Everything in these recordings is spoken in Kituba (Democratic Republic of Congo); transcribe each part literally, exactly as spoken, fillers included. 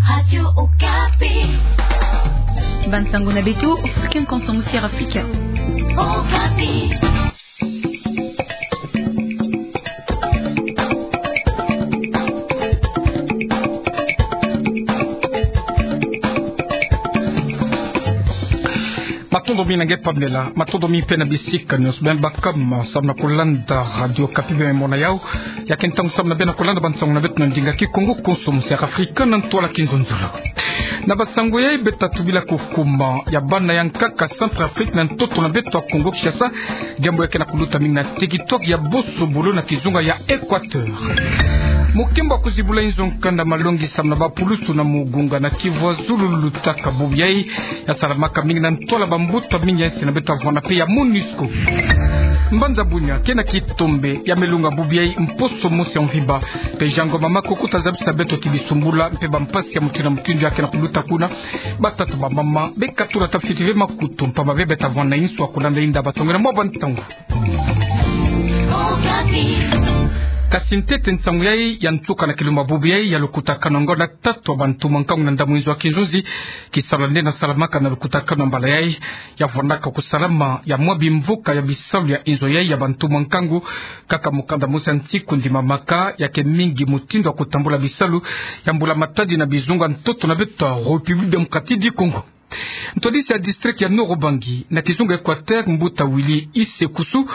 Radio Okapi. Bansango na beto, Afrika, Konso Musi ya Afrika. Okapi. Matondo mingi na nge Pamela, matondo mingi pe na bisika nyonso beno baka samu na kulanda Radio Okapi beno mona yau. Ya ke ntangu samu na beno kulanda bansango na beto na ndinga Kikongo, Konso Musi ya Afrika, na ntwala kinzonzolo. Na bansango yai, beto ta tubila kukuma ya bana ya nkaka Centrafrique na ntoto na beto ya Kongo Kinshasa, diambu ya ke na kuluta mingi na territoire ya Bosobolo na kizunga ya Équateur. Mukimbu ya kuzibula inzo nkanda malongi samu na bapulusu na Mugunga na Kivu ya Zulu lutaka bubu yai, ya salamaka mingi na ntwala bambuta mingi ya nsi na beto, avwanda pe ya MONUSCO. Mbanza Bunia ke na kitombe ya melunga bubu yai mposo mosi ya mvimba. Pe Jean Ngoma Makoko ta zabisa beto ti bisumbula mpe bampasi ya mutindu na mutindu ya ke na kuluta kuna. Batata, bamama, bekatula ta fiti ve makutu, mpamba ve beto ta vwanda inso ya kulanda inda basongela mwa bantangu. Kasi ntete nsangu yai ya nsuka na kilumbu bubu yai ya lukutakanu ngonda tatu ya bantumwa nkangu na ndambu inzo ya kinzonzi. Kisalu nde na salamaka na lukutakanu na mbala yai, ya vwandaka kusalama ya mwa bimvuka ya bisalu ya inzo yai ya bantumwa nkangu. Kaka mukanda mosi ya nsiku ndimamaka, ya ke mingi mutindu ya kutambula bisalu ya mbula matadi na bizunga ntoto na beto ya République Démocratique du Congo. Ntwadisi ya district ya Nord-Ubangi na kizunga Équateur, mbuta Willy Isekusu,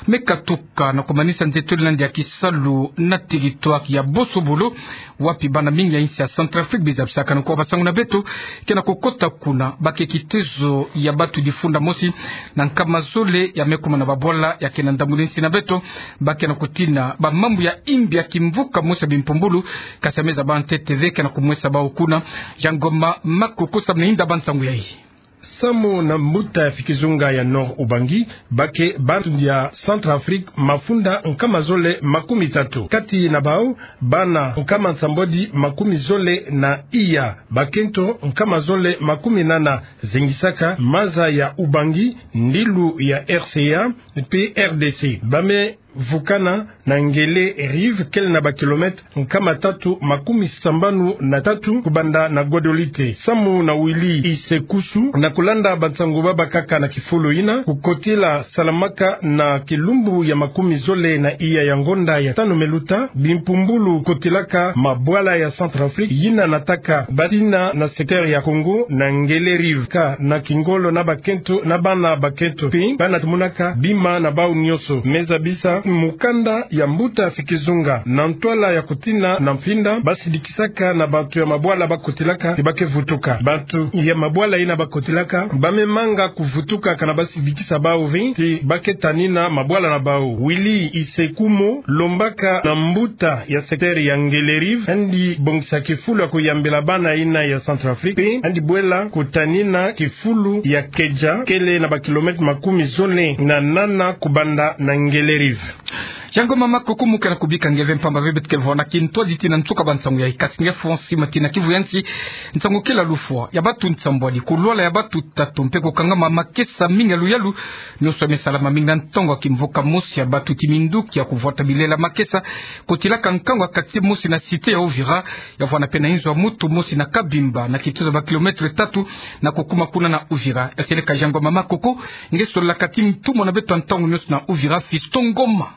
me katuka na kumanisa nzetoli na ndia kisalu na territoire ya Bosobolo, wapi bana mingi ya insi ya Centrafrique bizabisaka. Na kwa bansango na beto, ke na kukota kuna, ba ke kitezo ya batu difunda mosi na nkama zole ya me kuma na babwala ya ke na ndambu na insi na beto. Ba ke na kutina bamambu ya imbi ya kimvuka mosi ya bimpumbulu, kasi ya me zaba ntete ve ke na kumwesa bawu kuna. Jean Ngoma Makoko samu na inda bansangu yai. Samu na mbuta ya fikizunga ya Nord-Ubangi, ba ke bantu ya Centrafrique mafunda nkama zole makumi tatu. Kati na bawu, bana nkama nsambwadi makumi zole na iya, bakento nkama zole makumi nana, zingisaka maza ya Ubangi, ndilu ya R C A mpe R D C. Ba me vukana na Ngele Rive, kele na bakilomètre nkama tatu makumi sambanu na tatu kubanda na Guadolite. Samu na Willy Isekusu, na kulanda bansangu babakaka na kifulu yina, kukotila salamaka na kilumbu ya makumi zole na iya ya ngonda ya tanu me luta, bimpumbulu kotilaka mabwala ya Centrafrique yina nataka batina na secteur ya Congo na Ngele Rive, ka na kingolo na bakento na bana bakento, mpe bana tumunaka bima na bawu nyonso. Me zabisa mukanda ya mbuta fikizunga, na ntwala ya kutina na mfinda, basidikisaka na bantu ya mabwala bakotilaka ti ba ke vutuka. Bantu ya mabwala yina bakotilaka, ba me manga kuvutuka kana basidikisa bawu ve ti ba ke tanina mabwala na bawu. Willy Isekusu, lombaka na mbuta ya secteur ya Ngele Rive, andi bongisa kifulu ya kuyambila bana yina ya Centrafrique, mpe andi bwela kutanina kifulu ya Keja, kele na bakilomètre makumi zole na nana kubanda na Ngele Rive. Jean Ngoma Makoko, mu ke na kubika nge ve mpamba ve beto ke vwanda kintwadi tii na nsuka bansangu yai, kasi nge fwa nsi matina Kivu ya nsi, nsangu kele ya lufwa ya batu nsambwadi, kulwala ya batu tatu, mpe kukangama makesa mingi ya luyalu, nyonso ya me salama mingi na ntangu ya kimvuka mosi ya batu ti minduki ya kuvwata bilela makesa, kotilaka nkangu ya quartier mosi na cité ya Uvira, ya vwanda pe na inzo ya mutu mosi na Kabimba, na kitezo ya bakilomètre tatu na kukuma kuna na Uvira. Ya seleka Jean Ngoma Makoko, nge sololaka ti ntumwa na beto ya ntangu nyonso na Uvira, Fiston Ngoma.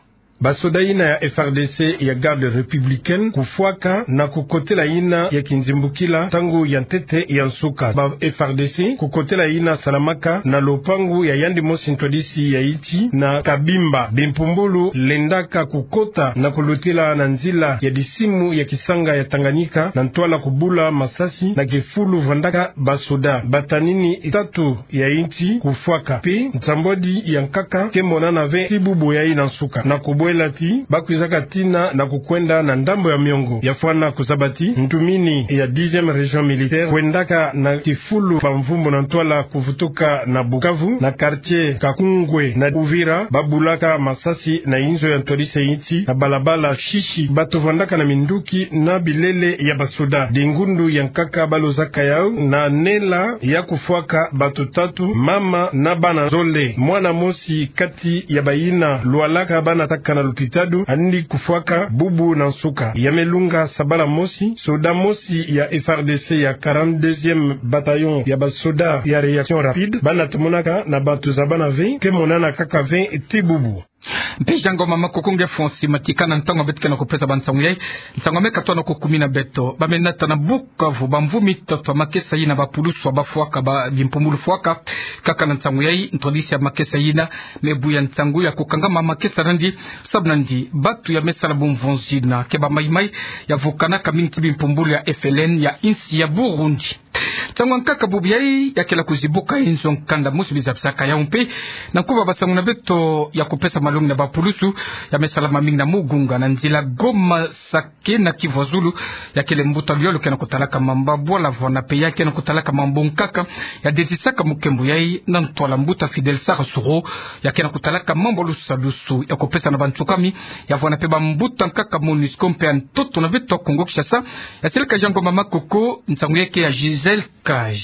Basoda yina ya F R D C ya Garde républicaine kufwaka na kukotela yina ya kinzimbukila ntangu ya ntete ya nsuka. Ba F R D C kukotela yina salamaka na lopangu ya yandi mosi ntwadisi ya insi na Kabimba. Bimpumbulu lendaka kukota na kulutila na nzila ya disimu ya kisanga ya Tanganyika na ntwala kubula masasi na kifulu vwandaka basoda. Batanini tatu ya insi kufwaka. Mpe nsambwadi ya nkaka ke monana ve ti bubu yai na nsuka. Na kubwela ti ba kwizaka tina na kukwenda na ndambo ya miongo. Ya fwana kuzaba ti ntumini ya dixième région militaire kwendaka na kifulu bamvumbu na ntwala kuvutuka na Bukavu, na quartier Kakungwe na Uvira, ba bulaka masasi na inzo ya ntwadisi ya insi na balabala Shishi. Bato vwandaka na minduki na bilele ya basoda. Dingundu ya nkaka ba lozaka yau na nela ya kufwaka bato tatu, mama na bana zole. Mwana mosi kati ya bayina lwalaka ba nataka na lupitalu, andi kufwaka bubu na nsuka. Ya me lunga sabala mosi, soda mosi ya F A R D C ya quarante-deuxième bataillon ya basoda ya réaction rapide, bana tomonaka na bato za bana ve, ke monana kaka ve ti bubu. Mpe Jean Ngoma Makoko nge Fonsi Matika na ntangu beto ke na kupesa bansangu yai, nsangu me katoa na kukumina beto. Ba me nata na Bukavu bamvu mitoto ya makesa yina bapulusu bafwaka ba bimpumbulu fwaka. Kaka na nsangu yai, ntwadisi ya makesa yina me buya nsangu ya kukangama makesa nandi, sabu nandi bato ya me sala bumvonzi na ke ba maimai ya vukanaka mingi ti bimpumbulu ya F L N ya insi ya Burundi. Ntangu ya nkaka bubu yai ya kela kuzibuka inzo nkanda musu biza bisaka yau mpe, na nkuba bansangu na beto ya kupesa malongi na bapulusu, ya me salama mingi na Mugunga na nzila Goma Sake na Kivu ya Zulu. Ya kele mbuta luyalu ke na kutalaka mambu ya bwala vwanda mpe ya ke na kutalaka mambu nkaka, ya dezisaka mukembo yai na ntwala mbuta Fidèle Sarr Soro, ya ke na kutalaka mambu ya lusadusu ya kupesa na bansukami, ya vwanda mpe bambuta nkaka MONUSCO mpe ya ntoto na beto Kongo Kinshasa. Ya seleka Jean Ngoma Makoko, nsangu yai ke ya Gisèle Kaj.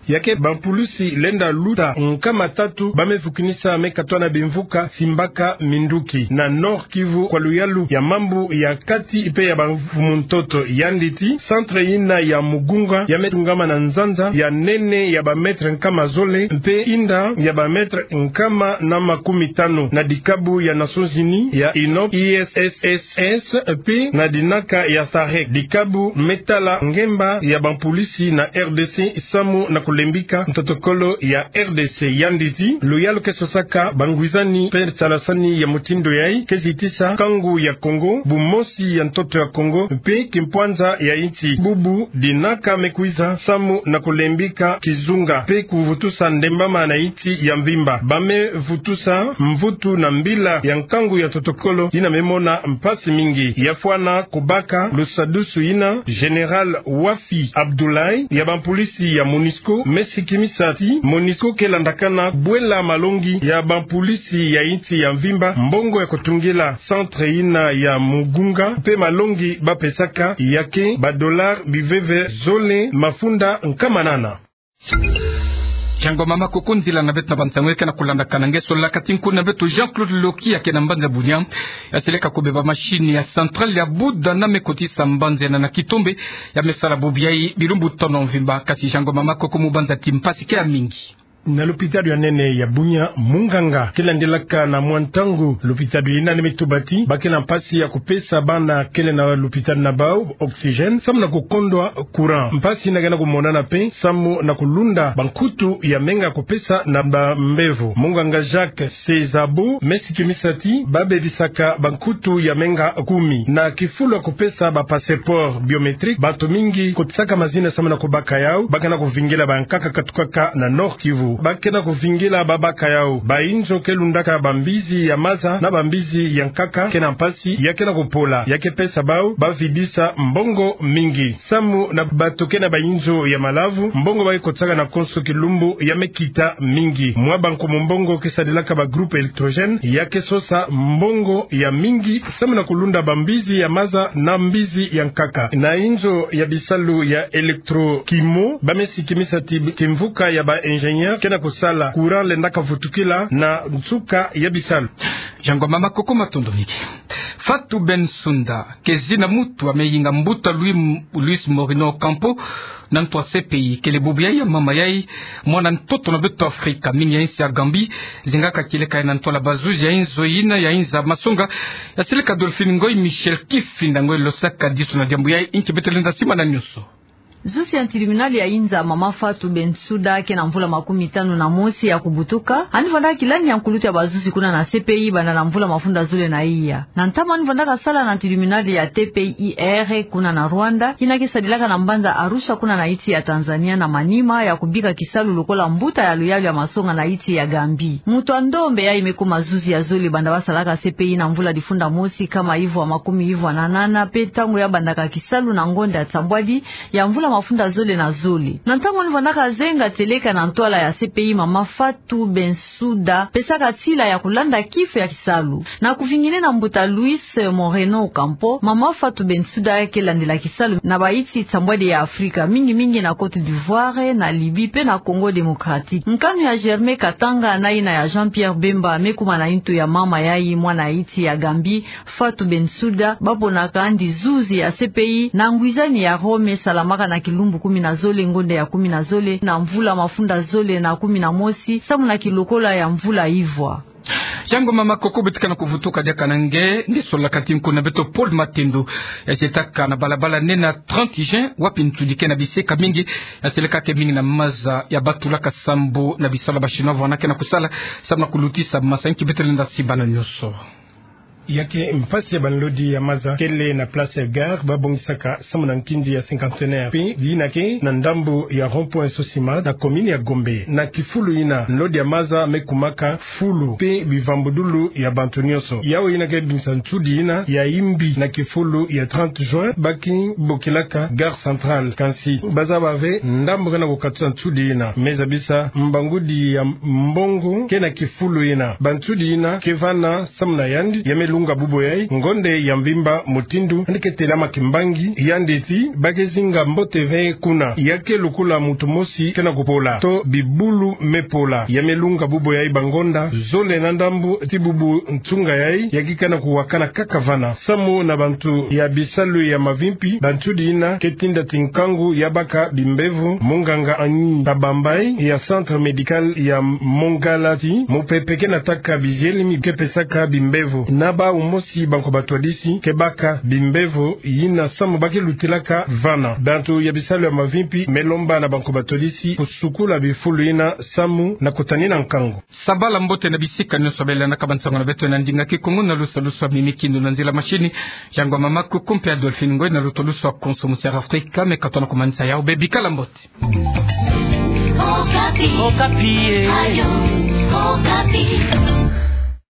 Ya ke bampulusi lenda luta nkama tatu ba me vukinisa me katoa na bimvuka simbaka minduki na Nord-Kivu kwa luyalu ya mambu ya kati mpe ya bamfumu ntoto. Yandi ti centre yina ya Mugunga ya me tungama na nzanza ya nene ya ba mètre nkama zole mpe inda ya ba mètre nkama na makumi tanu na dikabu ya Nations Unies ya UNOPS, I S S S S, mpe na dinaka ya SAREC, dikabu me tala ngemba ya bampulisi na R D C samu na kulembika ntotokolo ya R D C. Yandi ti luyalu ke sosaka bangwizani mpe nsalasani ya mutindu yai ke zitisa nkangu ya Kongo, bumosi ya ntoto ya Kongo mpe kimpwanza ya insi. Bubu dinaka me kwiza samu na kulembika kizunga mpe kuvutusa ndembama na insi ya mvimba. Ba me vutusa mvutu na mbila ya nkangu ya ntotokolo yina me mona mpasi mingi. Ya fwana kubaka lusadusu yina, Général Wafi Abdoulaye ya bampulisi ya MONUSCO me sikimisa ti MONUSCO ke landakana bwela malongi ya bampulisi ya insi ya mvimba mbongo ya kutungila centre yina ya Mugunga mpe malongi ba pesaka ya ke ba dollars biveve zole mafunda nkama nana. Jean Ngoma Makoko, nzila na beto na bansangu ya ke na kulandakana nge solaka ti nkuna beto Jean-Claude Loki ya ke na mbanza Bunia. Ya seleka kubeba machine ya centrale ya buda na me kotisa mbanza yina na kitombe. Ya me sala bubu yai bilumbu tono mvimba, kasi Jean Ngoma Makoko, mu banza ti mpasi ke ya mingi. Na lupitalu ya nene ya Bunia, munganga ke landilaka na mwa ntangu lupitalu yina ni me tuba ti ba ke na mpasi ya kupesa bana kele na lupitalu na bau oxygène samu na kukondwa courant. Mpasi yina ke na kumonana mpe samu na kulunda bankutu ya menga kupesa na bambevo. Munganga Jacques Sezabo me sikimisa ti ba bebisaka bankutu ya menga kumi na kifulu ya kupesa ba passeport biométrique. Bantu mingi kotisaka mazina samu na kubaka yau, ba ke na kuvingila bankaka katukaka na Nord-Kivu. Ba ke na kuvingila babaka yau. Bainzo ke lundaka bambizi ya maza na bambizi ya nkaka ke na mpasi ya ke na kupola, ya ke pesa bau ba vidisa mbongo mingi. Samu na bato ke na bainzo ya malavu, mbongo ba ke kotisaka na konso kilumbu ya me kita mingi. Mwa bankumu mbongo ke sadilaka ba groupe électrogène ya ke sosa mbongo ya mingi samu na kulunda bambizi ya maza na mbizi ya nkaka. Na inzo ya bisalu ya électrochimo, ba me sikimisa ti kimvuka ya ba ingénieur ke na kusala, courant lendaka vutukila na nsuka ya bisalu. Jean Ngoma Makoko, matondo mingi. Fatou Bensouda ke zina muntu ya me yinga mbuta Louis, Luis Moreno Ocampo na ntu ya C P I. Kele bubu yai ya mama yai, mwana ntoto na beto Afrika, mingi ya insi ya Gambie, zingaka kieleka yai na ntwala bazuzi ya inzo yina ya inza masonga. Ya seleka Dolphine Ngoy Michel Kifinda Ngoy losaka diso na diambu yai, inki beto lenda simba na nyonso. Zuzi ya tribunal ya inza, mama Fatou Bensouda, ke na mvula makumi tanu na mosi ya kubutuka, ani vandaka kilani ya nkulutu ya bazuzi kuna na C P I banda na mvula mafunda zole na iya. Na ntama ani vandaka sala na tribunal ya T P I R kuna na Rwanda, yina ke sadilaka na mbanza Arusha kuna na insi ya Tanzania, na manima ya kubika kisalu lokola mbuta ya luyalu ya masonga na insi ya Gambie. Muntu ya ndombe yai me kuma zuzi ya zole banda ba salaka C P I na mvula difunda mosi nkama ivwa makumi ivwa na nana, mpe ntangu ya bandaka kisalu na ngonda ya nsambwadi ya mvula mafunda zole na zole. Na ntangu ni vwandaka zenga tieleka na ntwala ya C P I, mama Fatou Bensouda pesaka tila ya kulanda kifo ya kisalu. Na kuvingene na mbuta Luis Moreno Ocampo, mama Fatou Bensouda ke landila kisalu na bayti nsambwadi ya Afrika, mingi mingi na Côte d'Ivoire, na Libye pe na Congo Démocratique. Nkanu ya Germain Katanga na yina ya Jean-Pierre Bemba me kuma na ntu ya mama yayi, mwana iti ya Gambie, Fatou Bensouda, baponaka yandi zuzi ya C P I na ngwizani ya Rome salamaka na kilumbu kumi na zole ngonde ya kumi na zole na mvula mafunda zole na kumi na mosi, samu na kilokola ya mvula ivwa. Yango mama Koko, beto ke na kuvutuka diaka na nge, nge sola kati nkuna beto Paul Matendo, ya sietaka na balabala nene trente juin, wapi nsudi ke na bisika mingi, ya sieleka ke mingi na maza ya batulaka sambu na bisalu ya ba Chinois vwena ke na kusala, samu na kulutisa masanki beto lenda simba na nyonso. Ya ke mpasi ya banlodi ya maza kele na place ya gare babongisaka samu na nkindi ya cinquantenaire, pe yina ke na ndambu ya rond-point Sosima na commune ya Gombe. Na kifulu yina, nlodi ya maza me kumaka fulu pe bivambudulu ya bantu nyonso. Yawu yina ke bimisa nsudi yina ya imbi na kifulu ya trente juin, ba ke bokilaka gare centrale. Kansi bazaba ve ndambu ke na kukatusa nsudi yina. Me zabisa mbangudi ya mbongo ke na kifulu yina. Bansudi yina ke vana samu na yandi, ya me lunga bubo yayi ngonde ya mvimba, mutindu yandi ke telama kimbangi, yandi ti ba ke zinga mbote ve kuna. Ya ke lukula muntu mosi ke na kupola to bibulu me pola. Ya me lunga bubo yayi bangonda zole na ndambu ti bubu nsunga yayi, ya ke na kuwakana kaka vana. Samu na bantu ya bisalu ya mavimpi, bansudi yina ke tinda ti nkangu ya baka bimbevo, munganga Annie Kabambayi ya centre médical ya Mongala ti mupepe ke nataka bizielemi ke pesaka bimbevo. Na bawu mosi banko batwadisi ke baka bimbevo yina samu ba ke lutilaka vana. Bantu ya bisalu ya mavimpi me lomba na banko batwadisi kusukula bifulu yina samu na kutanina nkangu. Sabala mbote na bisika nyonso bele na kabansango na beto na ndinga Kikongo na lusa lusa mimi kindu na nzila mashini. Yango mama Koko mpe Adolphine Ngoy na luto lusa konso musiara Afrika, me katona kumanisa yawu be bikala mbote. Okapi. Okapi, eh. Ayo, Okapi.